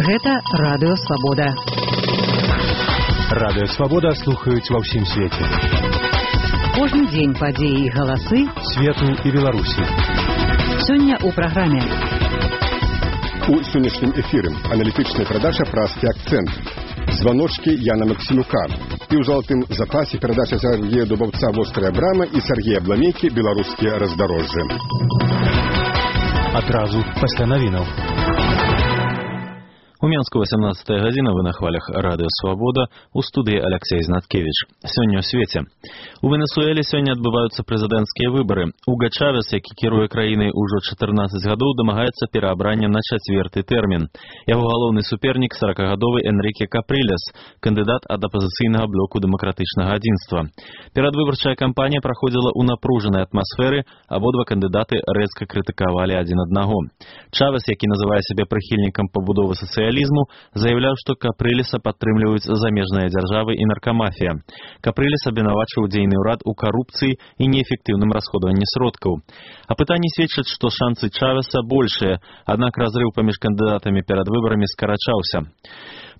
Гэта Радыё Свабода. Радыё Свабода слухаюць ва ўсім свеце. Кожны дзень падзеі і галасы свету і Беларусі. Сёння ў праграме. У сённяшнім эфіры аналітычная перадача «Празкі акцэнт», званочкі Яна Максімюка і ў залатым запасе перадача Сергея Дубаўца «Вострая брама» і Сергея Бламейкі «Беларускія раздарожжы». Адразу пасля навінаў. У Менску 18 гадзіна, вы на хвалях Радыё Свабода, у студыі Алексей Знаткевич. Сёння ў свеце. У Венесуэле сёння адбываюцца прэзідэнцкія выбары. Уга Чавес, які кіруе краінай ужо 14 гадоў, дамагаецца пераабрання на 4-й тэрмін. Яго галоўны супернік 40-гадовы Энрике Каприлес, кандыдат ад апазіцыйнага блоку дэмакратычнага адзінства. Перадвыбарчая кампанія праходзіла ў напружанай атмасферы, абодва кандыдаты рэзка крытыкавалі адзін аднаго. Чавес, які называе сябе прыхільнікам пабудовы сацыялізму, заявляў, што Каприлеса падтрымліваюць замежныя дзяржавы і наркамафія. Каприлес абвінавачыў дзейны ўрад у карупцыі і неэфектыўным расходаванні сродкаў. Апытанні сведчаць, што шансы Чавеса большыя, аднак разрыў паміж кандыдатамі перад выбарамі скарачаўся.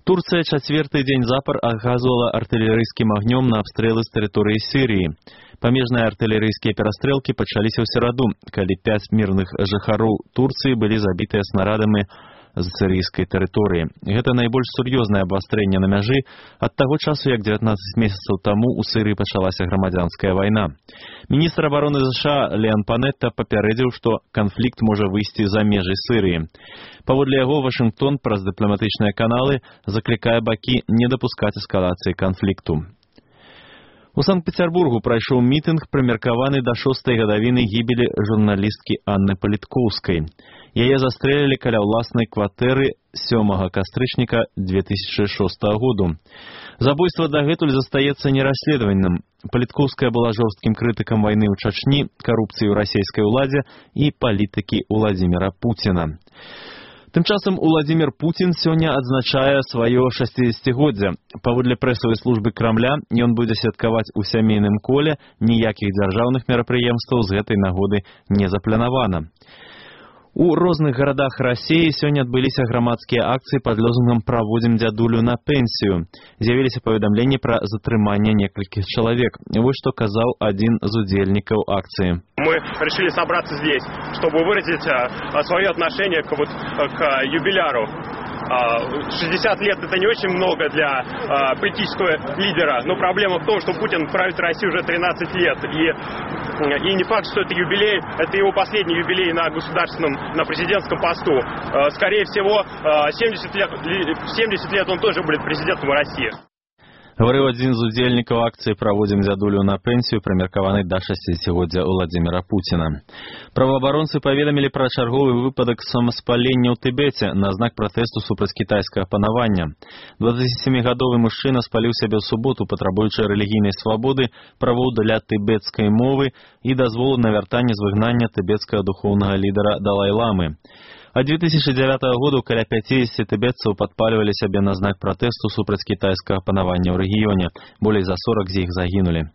Турцыя чацвёрты дзень запар аказвала артылерыйскім агнём на абстрэлы з тэрыторыі Сірыі. Памежныя артылерыйскія перастрэлкі пачаліся ў сераду, калі 5 мірных жыхароў Турцыі былі забітыя снарадамі з сірыйскай тэрыторыі. Гэта найбольш сур'ёзнае абвастрэнне на мяжы ад таго часу, як 19 месяцаў таму ў Сірыі пачалася грамадзянская вайна. Міністр абароны США Леон Панетта папярэдзіў, што канфлікт можа выйсці за межы Сірыі. Паводле яго, Вашынгтон праз дыпламатычныя каналы заклікае бакі не дапускаць эскалацыі канфлікту. У Санкт-Петербургу прайшоў мітынг, прымеркаваны да 6-й гадавіны гібелі журналісткі Анны Паліткоўскай. Яе застрэлілі каля ўласнай кватэры 7 кастрычніка 2006 году. Забойства дагэтуль застаецца нерасследаваным. Паліткоўская была жорсткім крытыкам вайны ў Чачні, карупцыі ў расійскай уладзе і палітыкі Владзіміра Пуціна. Тым часам Владзімір Пуцін сёння адзначае сваё 60-годдзе. Паводле прэсавай службы Крамля, ён будзе святкаваць у сямейным коле, ніякіх дзяржаўных мерапрыемстваў з гэтай нагоды не запланавана. У розных гарадах Расіі сёння адбыліся грамадскія акцыі пад лозунгам «Праводзім дзядулю на пенсію». З'явіліся паведамленні пра затрыманне некалькіх чалавек. Вось што казаў адзін з удзельнікаў акцыі. Мы решили собраться здесь, чтобы выразить свое отношение к юбиляру. 60 лет это не очень много для политического лидера, но проблема в том, что Путин правит Россию уже 13 лет, и не факт, что это юбилей, это его последний юбилей на государственном, на президентском посту. Скорее всего, 70 лет он тоже будет президентом России. Гаварыў адзін з удзельнікаў акцыі «Праводзім дзядулю на пенсію», прымеркаваны да 60-годдзя Владзіміра Пуціна. Праваабаронцы паведамілі пра чарговы выпадак самаспалення ў Тыбеце на знак пратэсту супраць кітайскага панавання. 27-гадовы мужчына спаліў сябе ў суботу, патрабуючы рэлігійнай свабоды, правоў для тыбецкай мовы і дазволу на вяртанне з выгнання тыбецкага духоўнага лідара Далай-ламы. А 2009 году каля 50 тыбетцаў падпальвалі сябе на знак пратэсту супраць кітайскага панавання ў рэгіёне. Болей за 40 з іх загінулі.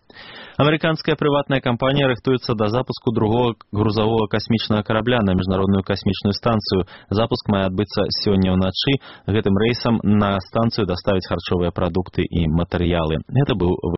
Амерыканская прыватная кампанія рыхтуецца да запуску другого грузавога касмічнага карабля на міжнародную касмічную станцыю. Запуск мае адбыцца сёння ўначы. Гэтым рэйсам на станцыю даставяць харчовыя прадукты і матэрыялы. Гэта быў